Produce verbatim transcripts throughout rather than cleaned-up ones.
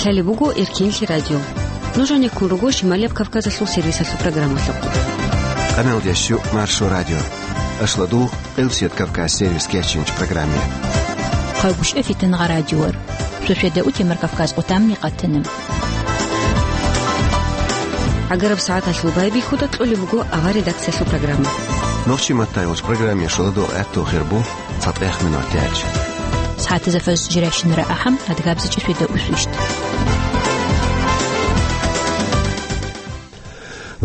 Лъалеб буго Эркенлъи радио. Нуж гьанеккун руго Шималияб Кавказалъул сервисалъул программалъухъ. Къамелдящу Маршо радио. Ашладул Къилбсият Кавказ сервис кечинч программе. Хъалгушев Фитангъа радиор. Сусведа утемар Кавказ отамни къатана. ГӀагараб сагӀаталъул байбихьуда кьолеб буго авар редакциялъул программа. Нохчи маттайолч программе шоладо гӀатту хирбу цатӀех минут тяч. СагӀатазафаз жиращинара ахӀам, адгабзичӀи светда усвищт.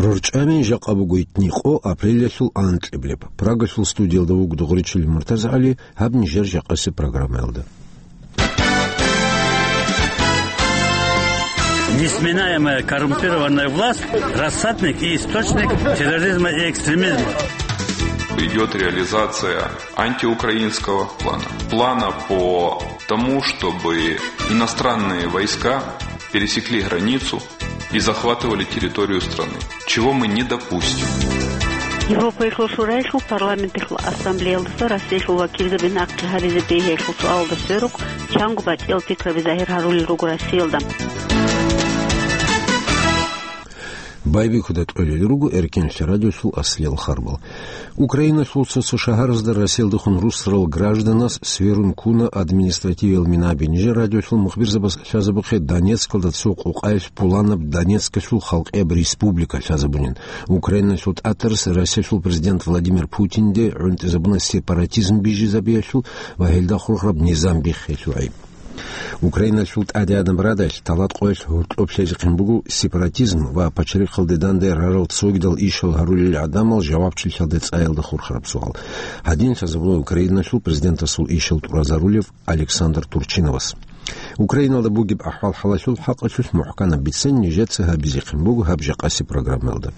РорчӀами жакъа буго итни къо апрелялъул анкьиблеб. Прагалъул студиялда вуго Дугъричил МуртазагӀали, гьаб нижер жакъасеб программаялда. Несменаемая коррумпированная власть, рассадник и источник терроризма и экстремизма. Идет реализация антиукраинского плана. Плана по тому, чтобы иностранные войска пересекли границу и захватывали территорию страны, чего мы не допустим. Европаялъул Шураялъул парламенталъул ассамблеялдаса Россиялъул вакилзаби нахъе гьаризе бегьиялъул суалалда сверухъ, чанго батӀиял пикраби загьир гьарулел руго Россиялда. Байбихьуда кьолел руго Эркенлъи радиосул аслиял харбал. Украиналъул цо-цо шагьаразда Россиялдехун русарал гражданас сверун ккуна административиял минаби. Нижер радиолъул мухбирзабаз лъазабухъе Донецкалда цо къокъаялъ пуланаб Донецкалъул халкъияб республика лъазабунин. Украиналъул тӀатарас Россиялъул президент Владимир Путинде гӀунтӀизабуна сепаратизм бижизабиялъул ва гьелда хурхараб низам биххиялъул гӀайиб. Украиналъул ТӀадегӀанаб Радалъ талат къоялъ гьоркьоб лъезехъин буго сепаратизм ва пачалихъалде данде рарал цогидал ишал гьарулел гӀадамал жавабчилъалде цӀаялда хурхараб суал. Гьадин лъазабула Украиналъул президентасул ишал тӀуразарулев Александр Турчиновас. Украиналда бугеб ахӀвал-хӀалалъул хӀакъалъулъ мухӀканаб бицен нижеца гьабизехъин буго гьаб жакъасеб программаялда.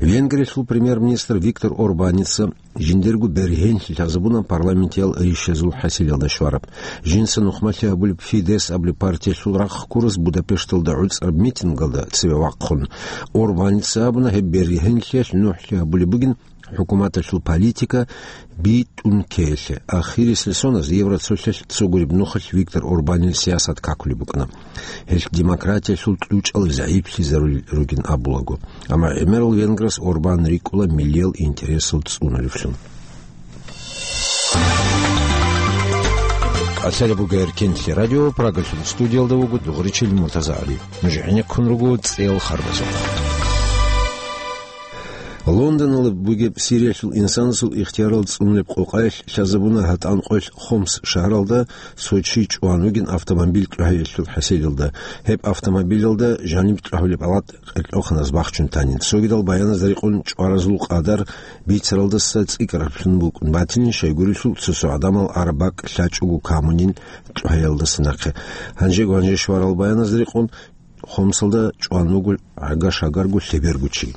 Венгриялъул премьер-министр Виктор Орбаница жиндирго бергьенлъи лъазабуна парламентиял ришазул хӀасилалда щвараб. Жинца нухмалъи гьабулеб Фидес абулеб партиялъул рахъ ккурас Будапешталда гӀуцӀараб митингалда цеве вахъун. Орбаница абуна, гьеб бергьенлъиялъ нухӀлъи гьабулеб бугин хӀукуматалъул политика битӀун ккеялъе. Ахирисеб соназ Евроцолъалъ цо гуреб нухалъ Виктор Орбанил сиясат какулеб букӀана. Гьелъ демократиялъул кьучӀал загӀиплъизарулел ругин абулаго. Амма гӀемерал венграс Орбан рикӀкӀула миллиял интересал цӀунулевлъун. Лъалеб буго Эркенлъи радио, Прагалъул студиялда вуго Дугъричил МуртазагӀали. Нуж гӀенеккун руго цӀел харбазухъ. Лондонала бугеб Сириялъул инсанасул ихтиярал цӀунулеб къокъаялъ лъазабуна гьатӀан къоялъ Хомс шагьаралда Сочи чӀван вугин автомобиль чӀухӀиялъул хӀасилалда. Гьеб автомобилалда жаниб чӀвагьулеб гьалат къеркьоханаз бахчун танин. Цогидал баяназда рекъон чӀваразул къадар бицаралдаса цӀикӀкӀараблъун букӀун батилин, щайгурелъул цо-цо гӀадамал араб бакӀ лъачӀого камунин чӀухӀиялдаса нахъе. Гьанжего гьанже щварал баяназда рекъон Хомсалда чӀван вуго гӀага-шагарго лъеберго чи.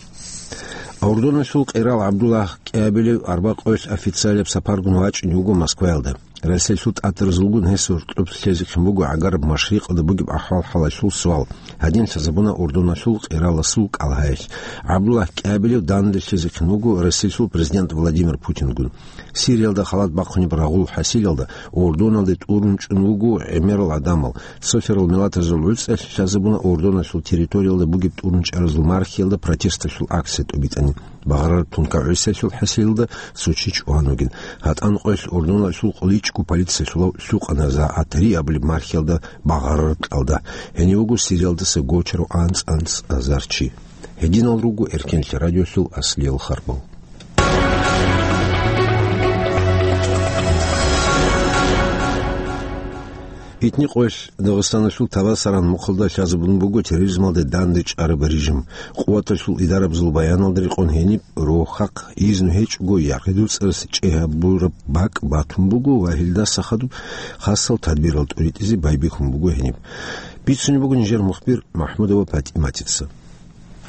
Урдуналъул къерал ГӀабдуллагь КӀиабилев арбакъоялъ официалияб сапаргун вачӀине вуго Москваялда. Россиялъул тӀатаразулгун гьес гьоркьоб лъезехъин буго гӀагараб машрикъалда бугеб ахӀвал-хӀалалъул суал. Гьадин лъазабуна Урдуналъул къераласул кӀалгьаялъ. ГӀабдуллагь КӀиабилев данде лъезехъин вуго Россиялъул президент Владимир Путингун. Сириялда халат бахъунеб рагъул хӀасилалда Урдуналде тӀурун чӀун вуго гӀемерал гӀадамал. Цоферал миллатазул гӀуцӀалъ лъазабуна Урдуналъул территориялда бугеб тӀурун чӀаразул мархиялда протесталъул акция тӀубитӀани. Багъарараб тункагӀусиялъул хӀасилалда Сочи чӀван вугин. ГьатӀан къоялъ Урдуналъул кьоличӀго полициялъулав лъукъана за гӀатари абулеб мархиялда багъарараб кьалда. Гьенив вуго Сириялдаса гочарав анцӀ-анцӀ азар чи. Гьединал руго Эркенлъи радиолъул аслиял харбал. Итни къоялъ Дагъистаналъул Табасаран мухъалда лъазабун буго терроризмалде данде чӀараб режим. Къуваталъул идарабазул баяналда рекъон гьениб рохахъ изну гьечӀого яргъи дуцӀарас чӀей гьабураб бакӀ батун буго ва гьелдаса хадуб хасал тадбирал тӀуритӀизе байбихьун буго гьениб. Бицунеб буго нижер мухбир МахӀмудова ПатӀиматица.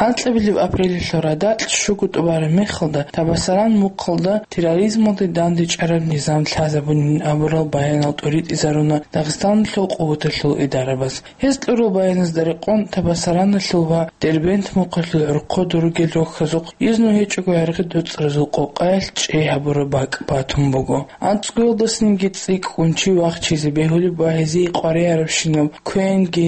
АнцӀабилеб апрелалъул радакь щуго тӀубараб мехалда Табасаран мухъалда терроризмалде дандечӀараб низам лъазабунин абурал баянал тӀуритӀизаруна Дагъистаналъул къуваталъул идарабаз. Гьез кьурал баяназда рекъон, Табасараналъул ва Дербент мухъалъул гӀорхъо ругел рохьазухъ изну гьечӀого яргъи дуцӀразул къокъаялъ чӀей гьабураб бакӀ батун буго. АнцӀгоялдасанги цӀикӀкӀун чи вахчизе бегьулеб ва гьезие къваригӀарабщинаб квенги,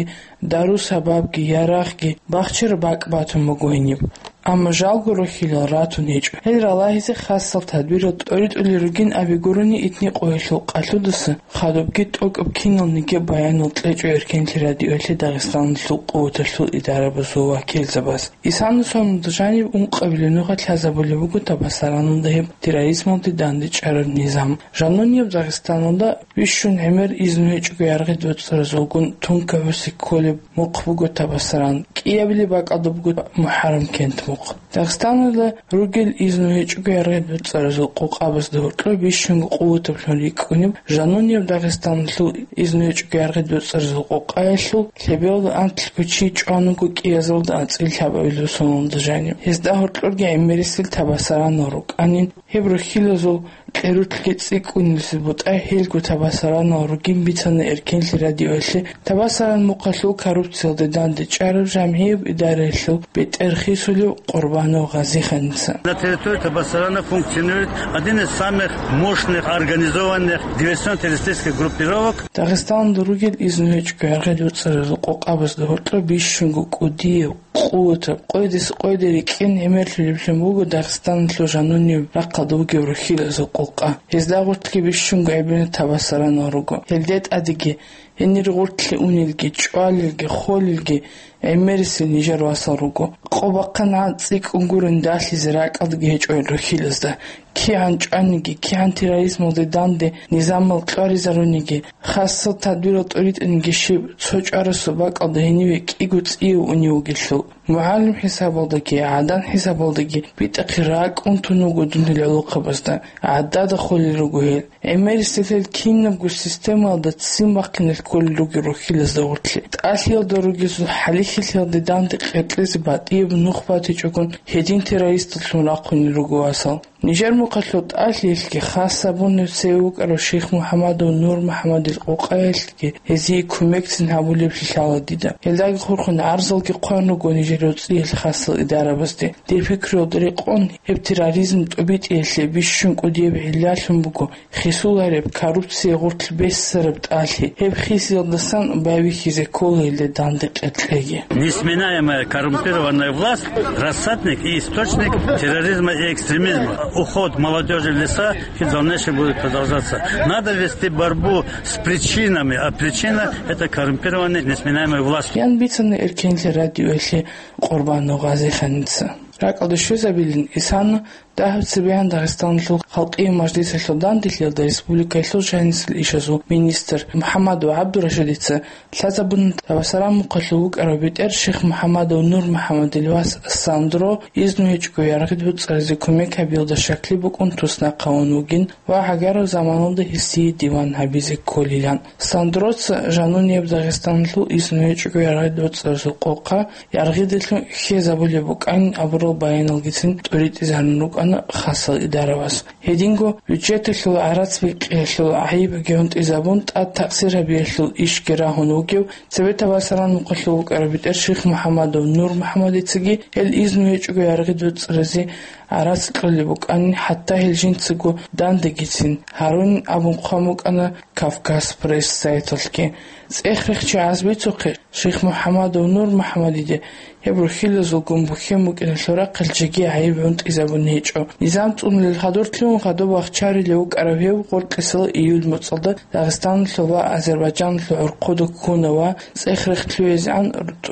дару-сабабги, ярагъги бахчараб бакӀ батун буго гьениб. Амма жалго рохьилал ратун гьечӀо. Гьел ралагьизе хасал тадбирал тӀоритӀулел ругин абигурони, итни къоялъул къалъудаса хадубги тӀокӀаб киналниги баянал кьечӀо Эркенлъи радиоялъе Дагъистаналъул къуваталъул идарабазул вакилзабаз. Исана соналда жаниб ункъабилеб нугӀа лъазабулеб буго Табасараналда гьеб терроризмалде дандечӀараб низам. Жанунияб Дагъистаналда бищун гӀемер изну гьечӀого яргъи доцӀцӀаразулгун тункабусе кколеб мухъ буго Табасаран, кӀиабилеб бакӀалда буго МухӀаррам кент мухъ. Дагъистаналда ругел изну гьечӀого яргъи доцӀцӀаразул къокъабазда гьоркьор бищунго къуватаблъун рикӀкӀунеб жанунияб Дагъистаналъул изну гьечӀого яргъи доцӀцӀаразул къокъаялъул лъебералда анлъго чи чӀван вуго кӀиазаралда анцӀила лъабабилеб соналда жаниб. Гьезда гьоркьорги гӀемерисел Табасаранал рукӀанин. Гьеб рохьилазул къерулъги цӀикӀкӀунилси бутӀа гьелго Табасаранал ругин бицана Эркенлъи радиоялъе. Табасаран мухъалъул коррупциялде дандечӀараб жамгӀияб идараялъул бетӀер хисулев Къурбанов Гъазиханица. На территории Табасарана функционирует один из самых мощных, организованных диверсионно-террористических группировок. Дагъистаналда ругел изну гьечӀого яргъи доцӀцӀаразул къокъабазда гьоркьор бищунго кӀудияб, къуватаб, къойдаса къойде рикӀкӀин гӀемерлъулеблъун буго Дагъистаналъул жанунеб рахъалда вугев рохьилазул къокъа. Гьезда гъоркьги бищунго гӀебина Табасаранал руго. Гьелде тӀадеги, гьенир гъоркье унелги, чӀвалелги, холелги гӀемерисел нижер васал руго. Къо бахъан гӀан цӀикӀкӀун гурин далъизе ракӀалдаги гьечӀо рохьилазда. КигӀан чӀваниги, кигӀан терроризмалде данде низамал кьваризаруниги, хасал тадбирал тӀоритӀаниги щиб, цо чӀварасул бакӀалда гьениве кӀиго цӀияв унев вугелъул, мугӀалим хӀисабалдаги, гӀадан хӀисабалдаги битӀахъе ракӀ унтун вуго дунил гӀолохъабазда, гӀадада холел руго гьел. ГӀемерисел гьел кинабго системаялда ццин бахъиналъ кколел ругел рохьилазда гъоркье. ТӀалъиялда ругезул хӀалихьилъиялде данде къеркьезе батӀияб нух батичӀогон гьедин террористаллъун рахъунел руго васал. Нижер мухъалъул тӀалъиялъги хас гьабунев цеве вукӀарав Шихмухьамадов Нурмухьамадил къокъаялъги гьезие кумекцин гьабулеблъи лъала дида. Гьелдаги хурхун гӀарзалги хъван руго нижер рецӀиялъ хасал идарабазде. Дир пикруялда рекъон, гьеб терроризм тӀобитӀиялъе бищун кӀудияб гӀиллалъун буго хисулареб коррупция гъоркь бессараб тӀалъи. Гьеб хисиялдасан байбихьизе ккола гьелде данде къеркьеги. Несменяемая коррумпированная власть — рассадник и источник терроризма и экстремизма. Уход молодёжи в леса и в дальнейшем будет продолжаться. Надо вести борьбу с причинами, а причина — это коррумпированная несменяемая власть. Ян бицана Эркенлъи радиоялъе Къурбанов Гъазиханица. РакӀалде щвезабилин исана дагьаб цебегӀан Дагъистаналъул Халкъиял Мажлисалъул данделъиялда республикаялъул жанисел ишазул министр МухӀаммадов ГӀабдурашидица лъазабуна Табасаран мухъалъув вукӀарав бетӀер Шихмухьамадов Нурмухьамадил вас Сандро изну гьечӀого яргъи доцӀцӀаразе кумек гьабиялда щаклъи букӀун туснахъ гьавун вугин ва гӀагарав заманалда гьесие диван гьабизе кколилан. Сандроца жанунияб Дагъистаналъул изну гьечӀого яргъи доцӀцӀаразул къокъа яргъидалъун хьезабулеб букӀанин абурал баяналгицин тӀоритӀизарун рукӀана хасал идаравас. Гьединго бюджеталъул гӀарац бикъиялъул гӀайибги гьунтӀизабун, тӀад такъсир гьабиялъул ишги рагьун вугев, цебе Табасаран мухъалъув вукӀарав бетӀер Шихмухьамадов Нурмухьамадицаги гьел изну гьечӀого яргъи доцӀцӀаразе гӀарац кьолеб букӀанин, хӀатта гьел жинцаго дандегицин гьарунин абун хъван букӀана Кавказ Пресс сайталъги. ЦӀех-рехчи гӀаз бицухъе, Шихмухьамадов Нурмухьамадиде гьеб рухӀилазулгун бухьен букӀиналъул рахъалъ жеги гӀайиб гьунтӀизабун гьечӀо. Низам цӀунулел хадур лъугӀун хадуб вахчарилев вукӀарав гьев гъоркьисел июль моцӀалда Дагъистаналъул ва Азербайджаналъул гӀурхъуда ккуна ва цӀех-рех лъугӀизегӀан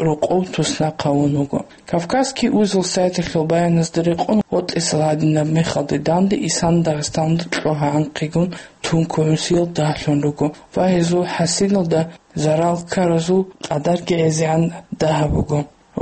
рокъов туснахъ гьавун вуго. Кавказский узел сайталъул баяназда рекъон, гъоркьисел гьадинаб мехалде данде исана Дагъистаналда кьогьа-анкъигун тункугӀунсиял дагьлъун руго ва гьезул хӀасилалда зарал ккаразул къадарги гӀезегӀан дагьаб буго.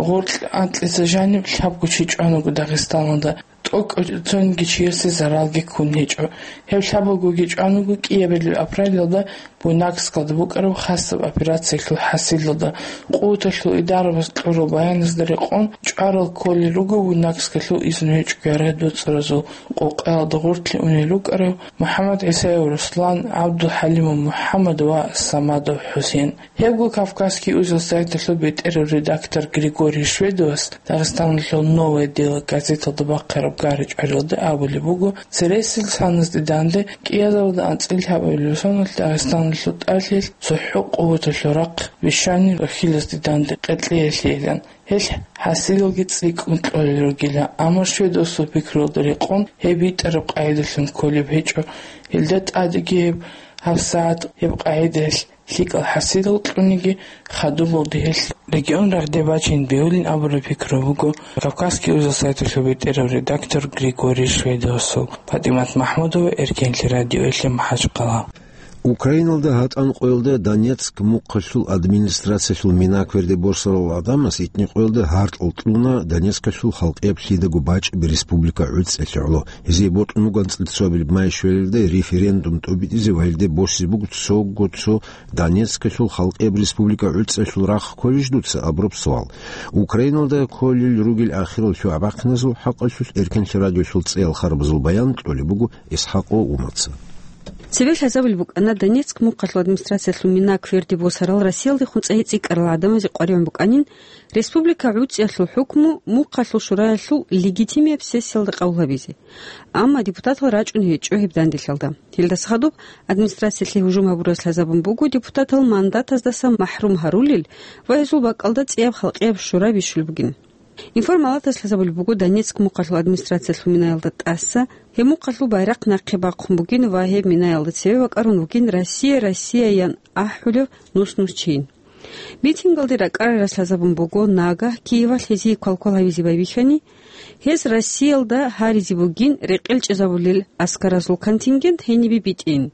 Гъоркь анкьица жаниб лъабго чи чӀван вуго Дагъистаналда, тӀокӀаб цониги чиясе заралги ккун гьечӀо. Гьеб лъабалгоги чӀван вуго кӀиабилеб апрелалда Буйнакскалда букӀараб хасаб операциялъул хӀасилалда. Къуваталъул идарабаз кьурал баяназда рекъон, чӀварал кколел руго Буйнакскалъул изну гьечӀого яргъи доцӀцӀаразул къокъаялда гъоркье унел рукӀарав МухӀаммад ГӀисаев Руслан, ГӀабдулхӀалимов МухӀаммад ва Самадов ХӀусен. Гьебго Кавказский узел сайталъул бетӀерав редактор Григорий Шведовас Дагъистаналъул «Новое дело» газеталда бахъараб ГаричӀваралда абулеб буго, цересел саназде данде кӀиазаралда анцӀила гьабулел соналъ Дагъистаналъул тӀалъил цохӀо къуваталъул рахъ бищани рахьилазде данде къеркьеялъейилан. Гьелъ хӀасилалги цӀикӀкӀун кьолел ругила, амма шведасул пикруялда рекъон гьеб битӀараб къагӀидалъун кколеб гьечӀо, гьелда тӀадеги гьеб, гьабсагӀат гьеб къагӀидаялъ лъикӀал хӀасилал кьуниги, хадубалде гьелъ регион рагъде бачине бегьулин абураб пикру буго Кавказский узел сайталъул бетӀерав редактор Григорий Шведовасул. ПатӀимат МахӀмудова, Эркенлъи радиоялъе МахӀачхъала. Украиналда гьатӀан къоялда Донецк мухъалъул администрациялъул мина кверде босарал гӀадамаз итни къоялда гьаркьал кьуна Донецкалъул халкъияб лъидаго бачӀаби республика гӀуцӀиялъе гӀоло. Гьезие бокьун буго анцӀила цоабилеб май щвелалда референдум тӀобитӀизе ва гьелде босизе буго цого цо Донецкалъул халкъияб республика гӀуцӀиялъул рахъ кколищ дуца абураб суал. Украиналда кколел ругел ахирал лъугӀа-бахъиназул хӀакъалъулъ Эркенлъи радиоялъул цӀеял харабазул баян кьолеб буго ИсхӀакъов Умаца. Цебе лъазабулеб букӀана, Донецк мухъалъул администрациялъул мина кверде босарал Россиялдехун цӀайи цӀикӀкӀарал гӀадамазе къваригӀун букӀанин, республика гӀуцӀиялъул хӀукму мухъалъул шураялъул легитимияб сессиялда къабул гьабизе. Амма депутатал рачӀун гьечӀо гьеб данделъалда. Гьелдаса хадуб администрациялъе гьужум гьабурас лъазабун буго депутатал мандатаздаса махӀрум гьарулел ва гьезул бакӀалда цӀияб халкъияб шура бищулеб бугин. Информалатас лъазабулеб буго, Донецк мухъалъул администрациялъул минаялда тӀаса гьеб мухъалъул байрахъ нахъе бахъун бугин ва гьеб минаялда цеве бакӀарун вугин «Россия, Россия» ян ахӀулев нус-нус чийин. Митингалде ракӀарарас лъазабун буго, нагагь Киевалъ гьезие квалквал гьабизе байбихьани, гьез Россиялда гьаризе бугин рекъел чӀезабулел аскаразул контингент гьенибе битӀин.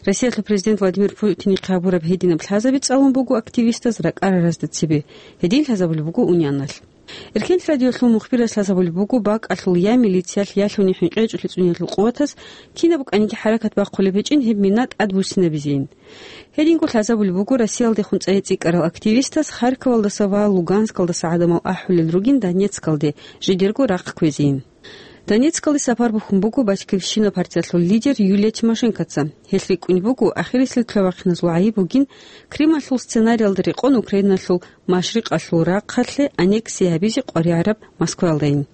Россиялъул президент Владимир Путинихъе гьабураб гьединаб лъазаби цӀалун буго активистаз ракӀараразда цебе, гьедин лъазабулеб буго унианалъ. Эркенлъи радиоялъул мухбирас лъазабулеб буго, бакӀалъул я милициялъ, ялъуни хӀинкъичӀолъи цӀуниялъул къуватаз кинаб букӀаниги хӀаракат бахъулеб гьечӀин гьеб мина тӀадбуссинабизейин. Гьединго лъазабулеб буго Россиялдехун цӀайи цӀикӀкӀарал активистаз Харьковалдаса ва Луганскалдаса гӀадамал ахӀулел ругин Донецкалде жидерго рахъ кквезейин. Донецкалде сапар бухьун буго Батькивщина партиялъул лидер Юлия Тимошенкоца. Гьелъ рикӀкӀунеб буго, ахирисел лъугӀа-бахъиназул гӀайиб бугин Крымалъул сценариялда рекъон Украиналъул машрикъалъул рахъалъе аннексия гьабизе къваригӀараб Москваялдайин.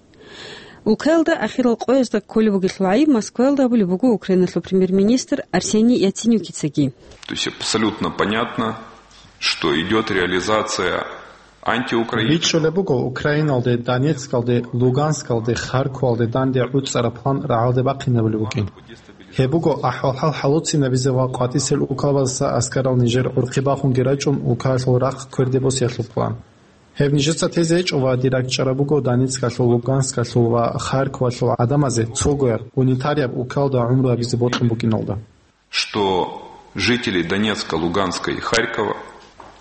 Улкаялда ахирал къоязда кколеб бугелъул гӀайиб Москваялда гьабулеб буго Украиналъул премьер-министр Арсений Яценюкицаги. То есть абсолютно понятно, что идёт реализация антиукраин. БичӀчӀулеб буго, Украиналде, Донецкалде, Луганскалде, Харьковалде данде гӀуцӀараб план рагӀалде бахъинабулеб букӀин. Гьеб буго ахӀвал-хӀал хӀалуцинабизе ва къватӀисел улкабазаса аскарал нижер гӀурхъи бахунги рачӀун улкаялъул рахъ кверде босиялъул план. Гьеб нижеца тезе гьечӀо ва дир ракӀчӀараб буго Донецкалъул, Луганскалъул ва Харьковалъул гӀадамазе цогояб, унитарияб улкаялда гӀумру гьабизе бокьун букӀиналда. Что жители Донецка, Луганска и Харькова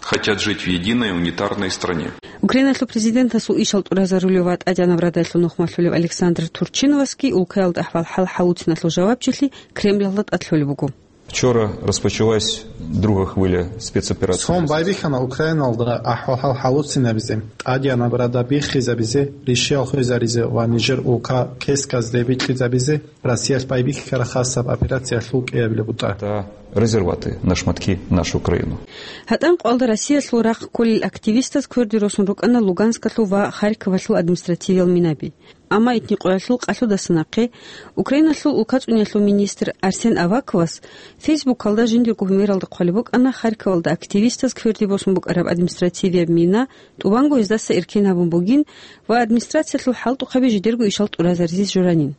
хотят жить в единой унитарной стране. Украиналъул президентасул ишал тӀуразарулев ва тӀадегӀанаб радалъул нухмалъулев Александр Турчиновасги улкаялда ахӀвал-хӀал хӀалуциналъул жавабчилъи Кремлалда тӀад лъолеб буго. Вчера розпочалась друга хвиля спецоперації. Цо байбихьана Украиналда ахӀвал-хӀал хӀалуцинабизе, тӀадегӀанаб рада биххизабизе, ришиял хвезаризе ва нижер улка кесказде бикьизабизе Россиялъ байбихьараб хасаб операциялъул кӀиабилеб бутӀа. Та розірвати на шматки нашу Україну. ГьатӀан къвалда Россиялъул рахъ кколел активистаз кверде росун рукӀана Луганскалъул ва Харьковалъул административиял минаби. Амма итни къоялъул къалъудаса нахъе Украиналъул улкацӀуниялъул министр Арсен Аваковас Фейсбукалда жиндирго гьумералда хъвалеб букӀана Харьковалда активистаз кверде босун букӀараб административияб мина тӀубанго гьездаса эркен гьабун бугин ва администрациялъул хӀалтӀухъаби жидерго ишал тӀуразаризе журанин.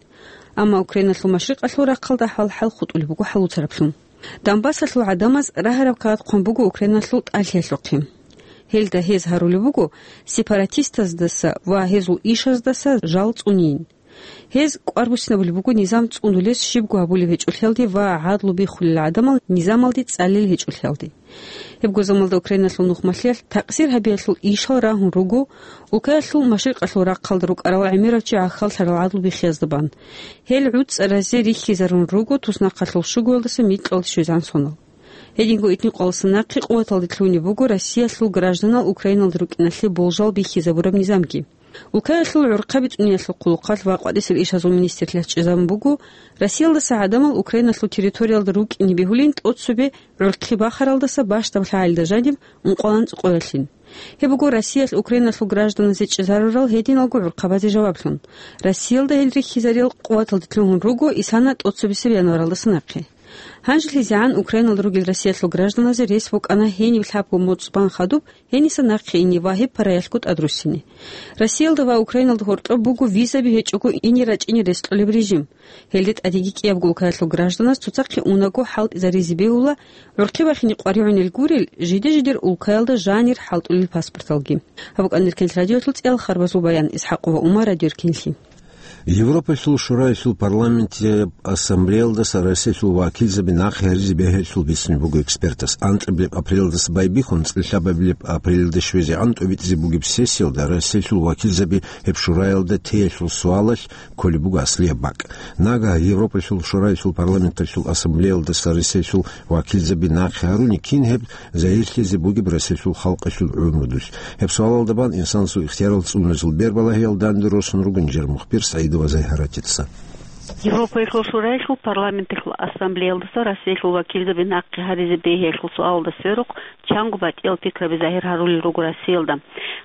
Амма Украиналъул машрикъалъул рахъалда ахӀвал-хӀал хутӀулеб буго хӀалуцараблъун. Донбассалъул гӀадамаз рагьараб кагъат хъван буго Украиналъул тӀалъиялъухъе. Гьелда гьез гьарулеб буго сепаратистаздаса ва гьезул ишаздаса жал цӀунейин. Гьез кӀвар буссинабулеб буго низам цӀунулес щибго гьабулеб гьечӀолъиялде ва гӀадлу биххулел гӀадамал низамалде цӀалел гьечӀолъиялде. Гьебго замалда Украиналъул нухмалъиялъ такъсир гьабиялъул ишал рагьун руго улкаялъул машрикъалъул рахъалда рукӀарал гӀемерав чи гӀахьаллъарал гӀадлу биххиязда бан. Гьел гӀуцӀаразе рихьизарун руго туснахъалъул щугоялдаса микьалде щвезегӀан сонал. Гьединго итни къоялдаса нахъе къуваталде лъугьунеб буго Россиялъул гражданал Украиналда рукӀиналъе болжал бихьизабураб низамги. Улкаялъул гӀурхъаби цӀуниялъул хъулухъалъ ва къватӀисел ишазул министрлъиялъ чӀезабун буго, Россиялдаса гӀадамал Украиналъул территориялда рукӀине бегьулин тӀоцебе гӀурхъи бахаралдаса бащдаб лъагӀалида жаниб ункъоялда анцӀукъоялъин. Гьеб буго Россиялъ Украиналъул гражданазе чӀезарурал гьединалго гӀурхъабазе жаваблъун. Россиялда гьел рихьизарил къуваталде лъугьун руго исана тӀоцебесеб январалдаса нахъе. ГьанжелъизегӀан Украиналда ругел Россиялъул гражданазе рес букӀана гьениб лъабго моцӀ бан хадуб гьениса нахъе ине ва гьеб параялъго тӀадруссине. Россиялда ва Украиналда гьоркьоб буго визаби гьечӀого ине рачӀине рес кьолеб режим. Гьелде тӀадеги кӀиябго улкаялъул гражданас цоцахъе унаго хӀалтӀизаризе бегьула, гӀурхъи бахине къваригӀунел гурел, жиде-жидер улкаялда жанир хӀалтӀулел паспорталги. Гьаб букӀана Эркенлъ радиоялъул цӀиялъ харбазул баян. Исхакова Умар, радио Эркенлъи. Европалъул Шураялъул парламентияб ассамблеялдаса Россиялъул вакилзаби нахъе гьаризе бегьулелъул бицунеб буго экспертас. Анкьабилеб апрелалдаса байбихьун, цӀилъабабилеб апрелалде щвезегӀан тӀобитӀизе бугеб сессиялда Россиялъул вакилзаби гьеб Шураялда теялъул суалалъ кколеб буго аслияб бакӀ. Нагагь Европалъул Шураялъул парламенталъул ассамблеялдаса Россиялъул вакилзаби нахъе гьаруни, кин гьеб загьирлъизе бугеб Россиялъул халкъалъул гӀумрудулъ? Гьеб суалалда бан инсанасул ихтиярал цӀунулезул бербалагьиял данде росун руго нижер мухбир СагӀидова Загьаратица. Европаялъул Шураялъул парламенталъул ассамблеялдаса Россиялъул вакилзаби нахъе гьаризе бегьиялъул суалалда сверухъ чанго батӀиял пикраби загьир гьарулел руго Россиялда.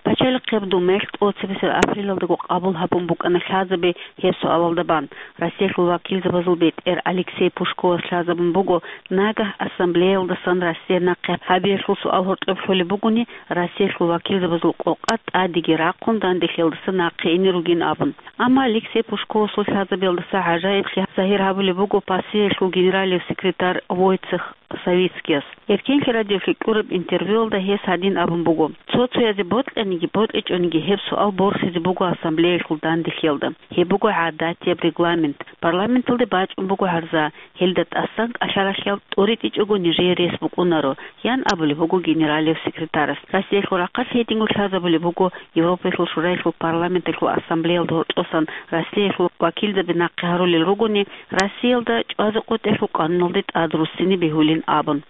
Пачалихъияб Думаялъ тӀоцебесеб апрелалдаго къабул гьабун букӀана лъазаби гьеб суалалда бан. Россиялъул вакилзабазул бетӀер Алексей Пушковас лъазабун буго, нагагь ассамблеялдасан Россия нахъе гьабиялъул суал гьоркьоб лъолеб бугони, Россиялъул вакилзабазул къокъа тӀадеги рахъун данделъиялдаса нахъе ине ругин абун. Амма Алексей Пушковасул лъазабиялдаса гӀажаиблъи загьир гьабулеб буго ПАСЕялъул генералияб секретарь Войцех Савицкияс. Эркенлъи радиоялъе кьураб интервьюялда гьес гьадин абун буго: «Цо-цоязе бокьаниги бокьичӀониги гьеб суал борхизе буго ассамблеялъул данделъиялда. Гьеб буго гӀадатияб регламент. Парламенталде бачӀун буго гьарза, гьелда тӀасан кӀалъаралъиял тӀоритӀичӀого нижее рес букӀунаро», – ян абулеб буго генералияб секретарас. Россиялъул рахъалъ гьединго лъазабулеб буго Европаялъул Шураялъул парламенталъул ассамблеялда гьоркьосан Россиялъул вакилзаби нахъе гьарулел ругони, Россиялда чӀвазе къотӀелъул къануналде тӀад руссине бегьулин абун.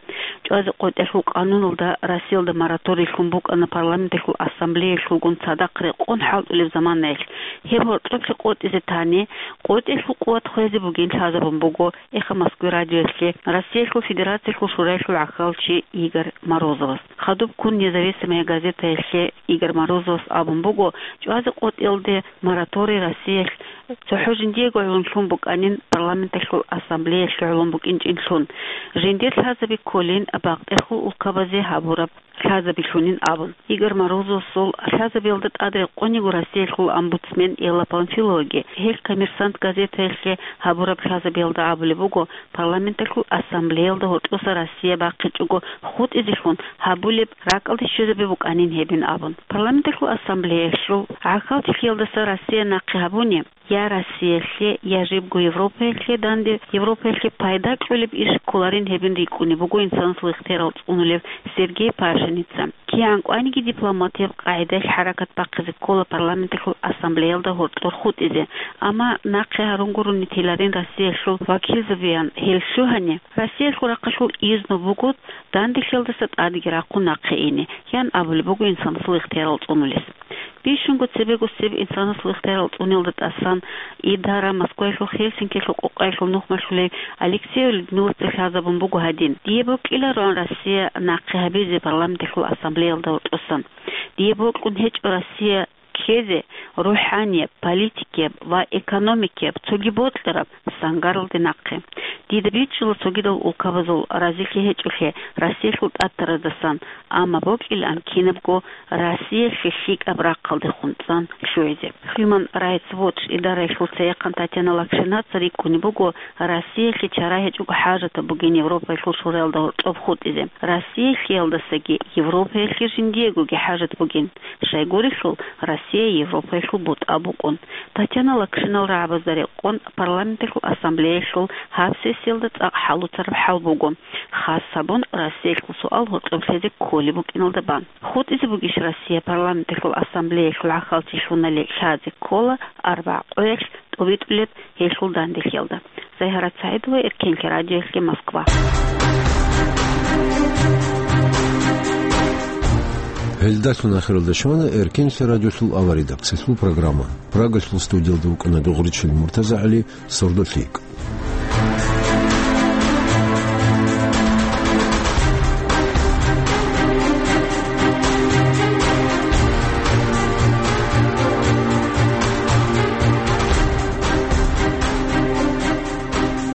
ЧӀвазе къотӀелъул къануналда Россиялда мораторий лъун букӀана парламенталъул ассамблеялъулгун цадахъ рекъон хӀалтӀулеб заманаялъ. Гьеб гьоркьоблъи къотӀизе тани, къотӀелъул къуват хвезе бугин лъазабун буго Эхо Москвы радиоялъе Россиялъул Федерациялъул Шураялъул гӀахьалчи Игорь Морозовас. Хадуб ккун «Независимая газетаялъе» Игорь Морозовас абун буго, чӀвазе къотӀиялде мораторий Россиялъ цохӀо жиндиего гӀоло лъун букӀанин, парламенталъул ассамблеялъе гӀоло букӀинчӀинлъун. Жиндир лъазаби кколин бакъдерхъул улкабазе гьабураб лъазабилъунин абун. Игорь Морозовасул лъазабиялда тӀад рекъон йиго Россиялъул омбудсмен Элла Памфиловаги. Гьел «Коммерсант» газетаялъе гьабураб лъазабиялда абулеб буго, парламенталъул ассамблеялда гьоркьоса Россия бахъичӀого хутӀизелъун гьабулеб ракӀалде щвезаби букӀанин гьебин абун. Парламенталъул ассамблеялъул гӀахьалчилъиялдаса Россия нахъе гьабуни, я Россиялъе, я жибго Европаялъе данде, Европаялъе пайда кьолеб иш кколарин гьебин рикӀкӀунеб буго инсанасул ихтиярал цӀунулев Сергей Пашиница. КигӀан кӀваниги дипломатияб къагӀидаялъ хӀаракат бахъизе ккола парламенталъул ассамблеялда гьоркьор хутӀизе, амма нахъе гьарун гурони теларин Россиялъул вакилзабиян гьел лъугьани, Россиялъул рахъалъул изну буго данделъиялдаса тӀадеги рахъун нахъе ине, ян абулеб буго инсанасул ихтиярал цӀунулес. Бищунго цебегосеб инсанасул ихтиярал цӀуниялда тӀасан идара Москваялъул Хельсинкиялъул къокъаялъул нухмалъулей Алексеев Людмилаца лъазабун буго гьадин: «Дие бокьилароан Россия нахъе гьабизе парламенталъул ассамблеялда гьоркьосан. Дие бокьун гьечӀо Россия ккезе рухӀанияб, политикияб ва экономикияб цоги бокьараб сангаралде нахъе. Дида бичӀчӀула цогидал улкабазул разилъи гьечӀолъи Россиялъул тӀатараздасан, амма бокьилаан кинабго Россиялъе лъикӀаб рахъалдехун цӀан лъугӀизе». Human Rights Watch идараялъул цеяхъан Татьяна Лакшинаца рикӀкӀунеб буго Россиялъе чара гьечӀого хӀажатаб бугин Европаялъул Шураялда гьоркьоб хутӀизе. Россиялъиялдасаги Европаялъе жиндиегоги хӀажат бугин. Щайгурелъул, Россия Европаялъул бутӀа букӀун. Татьяна Лакшинал рагӀабазда рекъон парламенталъул ассамблеялъул гьаб сессиялда цӀакъ хӀалуцараб хӀал буго, хас гьабун Россиялъул суал гьоркьоб лъезе кколеб букӀиналда бан. ХутӀизе бугищ Россия парламенталъул ассамблеялъул гӀахьалчилъунали лъазе ккола арбагӀ къоялъ тӀобитӀулеб гьелъул данделъиялда. Загьарат СагӀидова, Эркенлъи радиоялъе, Москва. Гьелдалъун ахиралда щвана Эркенлъи радиолъул аваридаб цӀехьул программа. Прагалъул студиялда вукӀана Дугъричил МуртазагӀали, сордолъи йикӀ.